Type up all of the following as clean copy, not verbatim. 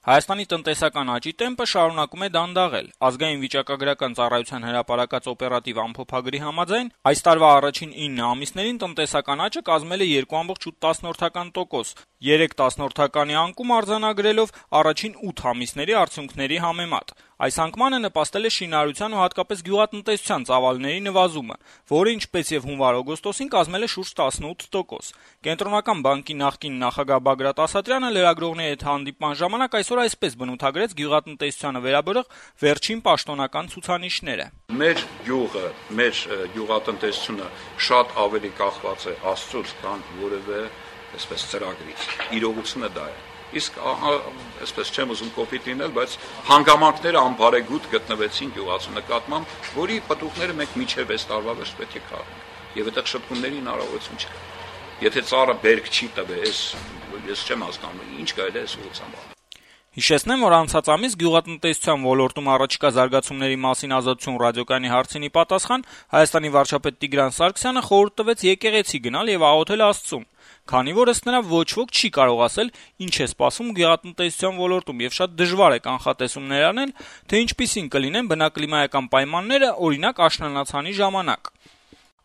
Հայաստանի տնտեսական աճի տեմպը շարունակում է դանդաղել։ Ազգային վիճակագրական ծառայության հրապարակած օպերատիվ ամփոփագրի համաձայն, այս տարվա առաջին 9 ամիսներին տնտեսական աճը կազմել է 2.8%, 3% անկում արձանագրելով առաջին 8 ամիսների արդյունքների համեմատ։ Այս անկմանը նպաստել է շինարարության ու հատկապես գյուղատնտեսության ծավալների նվազումը, որը ինչպես եւ հունվար-օգոստոսին կազմել է շուրջ 18%։ Կենտրոնական բանկի նախկին նախագահ Բագրատ Ասատրյանը լրագրողների հետ հանդիպման ժամանակ այսօր այսպես բնութագրեց գյուղատնտեսությանը վերաբերող վերջին պաշտոնական ցուցանիշները։ Մեր գյուղը, մեր գյուղատնտեսությունը շատ ավելի կախված է Աստծուց, քան որևէ այսպես ծրագրից։ Իրողությունը դա է։ Իսկ այսպես չեմ ուզում կոպիտ լինել, բայց հանգամանքները անբարեգութ գտնվեցին գյուղացու նկատմամբ, որի պտուղները մենք մինչև 6 տարվա վերջ պետք է քաղենք։ Եվ այդտեղ շտկումների հնարավորություն չկա։ Եթե ծառը բերք չի տվել, ես չեմ հասկանում, ինչ կարելի է այս ուղղությամբ անել։ Հիշեցնեմ, որ անցած ամիս գյուղատնտեսության ոլորտում առաջիկա զարգացումների մասին Ազատություն ռադիոկայանի հարցին ի պատասխան Հայաստանի վարչապետ Տիգրան Սարգսյանը խորհուրդ տվեց եկեղեցի գնալ եւ աղոթել Աստծուն, քանի որ ըստ նրա ոչ ոք չի կարող ասել, ինչ է սպասում գյուղատնտեսության ոլորտում եւ շատ դժվար է կանխատեսումներ անել, թե ինչպիսին կլինեն բնակլիմայական պայմանները, օրինակ աշնանացանի ժամանակ։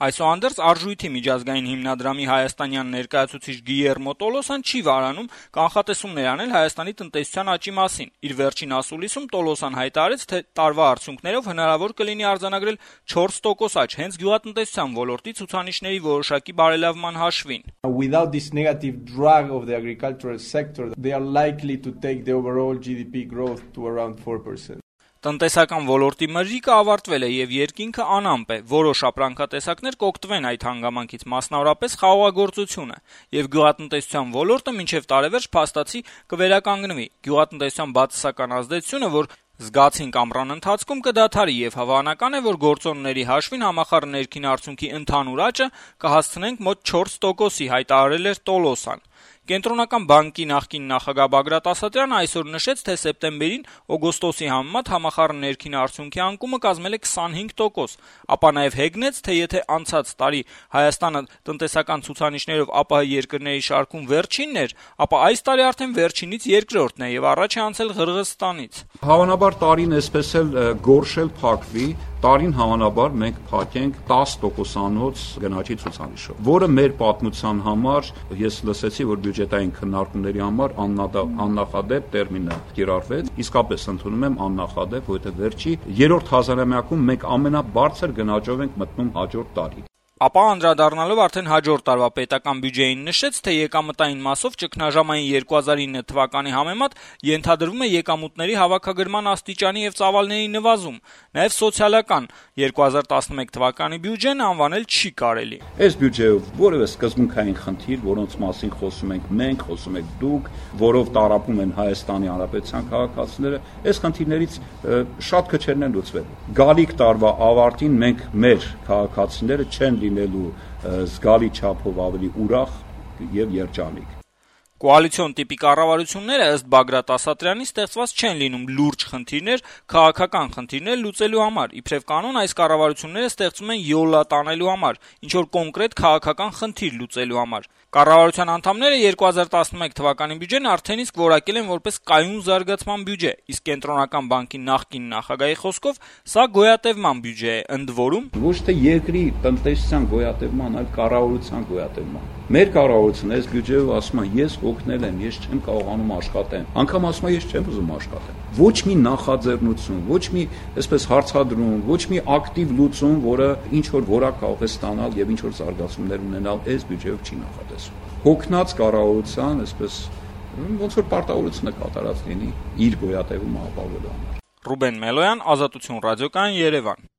Այսուհանդերձ Արժույթի միջազգային հիմնադրամի հայաստանյան ներկայացուցիչ Գիերմո Տոլոսան չի վարանում կանխատեսումներ անել Հայաստանի տնտեսության աճի մասին։ Իր վերջին ասուլիսում Տոլոսան հայտարարեց, թե տարվա արդյունքներով հնարավոր կլինի արձանագրել 4% աճ հենց գյուղատնտեսության ոլորտի ցուցանիշների որոշակի բարելավման հաշվին։ Without this negative drag of the agricultural sector, they are likely to take the overall GDP growth to around 4%. Տնտեսական ոլորտի մրրիկը ավարտվել է եւ երկինքը անամպ է, որոշ ապրանքատեսակներ կօգտվեն այդ հանգամանքից, մասնավորապես խաղողագործությունը, եւ գյուղատնտեսության ոլորտը մինչեւ տարեվերջ փաստացի կվերականգնվի։ Գյուղատնտեսության բացասական ազդեցությունը, որ զգացինք ամռան ընթացքում, կդադարի եւ հավանական է, որ գործոնների հաշվին համախառն ներքին արդյունքի ընդհանուր աճը կհասցնենք մոտ 4%-ի, հայտարարել էր Տոլոսան։ Կենտրոնական բանկի նախկին նախագահ Բագրատ Ասատրյանը այսօր նշեց, թե սեպտեմբերին օգոստոսի համեմատ համախառն ներքին արդյունքի անկումը կազմել է 25%, ապա նաև հեգնեց, թե եթե անցած տարի Հայաստանը տնտեսական ցուցանիշներով ԱՊՀ երկրների շարքում վերջինն էր, ապա այս տարի արդեն վերջինից երկրորդն է եւ առաջ է անցել Ղրղըզստանից։ Հավանաբար տարին այսպես էլ գորշել փակվի, տարին հավանաբար մենք փակենք 10%-անոց գնաճի ցուցանիշով, որը մեր պատմության համար, ես լսեցի, որ բյուջետային քննարկումների համար աննախադեպ տերմին է կիրառվեց, իսկապես ընդունում եմ աննախադեպ, որովհետև վերջի 3-րդ հազարամյակում մենք ամենաբարձր գնաճով ենք մտնում հաջորդ տարի։ Ապա անդրադառնալով արդեն հաջորդ տարվա պետական բյուջեին նշեց, թե եկամտային մասով ճգնաժամային 2009 թվականի համեմատ ենթադրվում է եկամուտների հավաքագրման աստիճանի եւ ծավալների նվազում, նաեւ սոցիալական 2011 թվականի բյուջեն անվանել չի կարելի։ Այս բյուջեով որևէ սկզբունքային խնդիր, որոնց մասին խոսում ենք մենք, խոսում եք դուք, որով տարապում են Հայաստանի Հանրապետության քաղաքացիները, այս խնդիրներից շատ քչերն են լուծվել։ Գալիք տարվա ավարտին մենք մեր քաղաքացիները չեն լինելու զգալի չափով ավելի ուրախ եւ երջանիկ։ Կոալիցիոն տիպի կառավարությունները ըստ Բագրատ Ասատրյանի ստեղծված չեն լինում լուրջ խնդիրներ, քաղաքական խնդիրներ լուծելու համար։ Իբրև կանոն այս կառավարությունները ստեղծում են յոլա տանելու համար, ինչ որ կոնկրետ քաղաքական խնդիր լուծելու համար։ Կառավարության անդամները 2011 թվականի բյուջեն արդեն իսկ որակել են որպես կայուն զարգացման բյուջե, իսկ կենտրոնական բանկի նախկին նախագահի խոսքով սա գոյատևման բյուջե է, ընդ որում ոչ թե երկրի տնտեսության գոյատևման, այլ կառավարության գոյատևման։ Մեր կառավարությունը այս բյուջեով ասում է, ես օգնել եմ, ես չեմ կարողանում աշխատել։ Անգամ ասում է, ես չեմ ուզում աշխատել։ Ոչ մի նախաձեռնություն, ոչ մի այսպես հարցադրում, ոչ մի ակտիվ լուծում, որը ինչ որ որակ կարող է ստանալ եւ ինչ որ զարգացումներ ունենալ, այս բյուջեով չի նախատեսվում։ Հոգնած կառավարության, այսպես ոնց որ պարտավորությունը կատարած լինի իր գոյատևումը ապահովելու համար։ Ռուբեն Մելոյան, Ազատություն ռադիոկայան, Երևան։